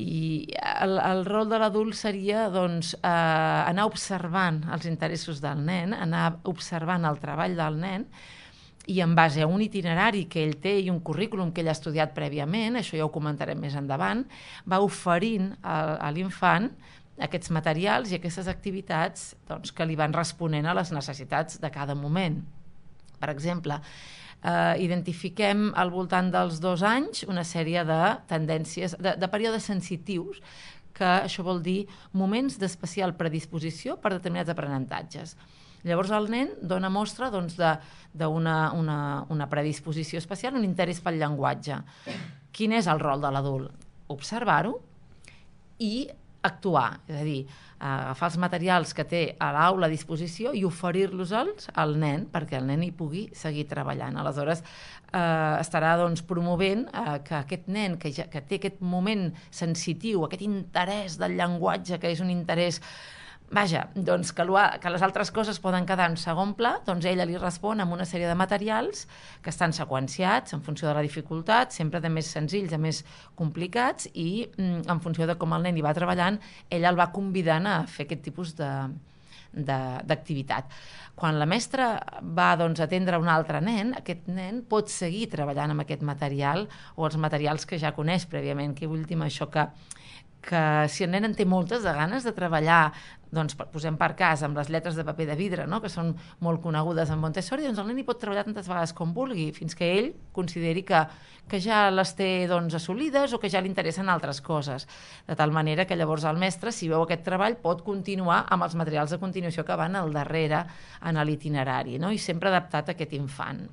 I el rol de l'adult seria doncs, anar observant els interessos del nen, anar observant el treball del nen i en base a un itinerari que ell té i un currículum que ell ha estudiat prèviament, això ja ho comentarem més endavant, va oferint a l'infant aquests materials i aquestes activitats doncs, que li van responent a les necessitats de cada moment. Per exemple, identifiquem al voltant dels 2 anys una sèrie de tendències, de períodes sensitius, que això vol dir moments d'especial predisposició per determinats aprenentatges. Llavors el nen dona mostra doncs, d'una predisposició especial, un interès pel llenguatge. Quin és el rol de l'adult? Observar-ho i actuar, és a dir, agafar els materials que té a l'aula a disposició i oferir-los al nen perquè el nen hi pugui seguir treballant. Aleshores, estarà doncs, promovent que aquest nen que té aquest moment sensitiu, aquest interès del llenguatge, que és un interès doncs que les altres coses poden quedar en segon pla, doncs ella li respon amb una sèrie de materials que estan seqüenciats en funció de la dificultat, sempre de més senzills a més complicats, i en funció de com el nen hi va treballant, ella el va convidant a fer aquest tipus d'activitat. Quan la mestra va doncs, atendre un altre nen, aquest nen pot seguir treballant amb aquest material o els materials que ja coneix prèviament. Què vull dir amb això? Que si el nen en té moltes de ganes de treballar, doncs posem per cas amb les lletres de paper de vidre, no? Que són molt conegudes en Montessori, doncs el nen hi pot treballar tantes vegades com vulgui, fins que ell consideri que ja les té doncs, assolides o que ja li interessen altres coses. De tal manera que llavors el mestre, si veu aquest treball, pot continuar amb els materials de continuació que van al darrere en l'itinerari, no? I sempre adaptat a aquest infant.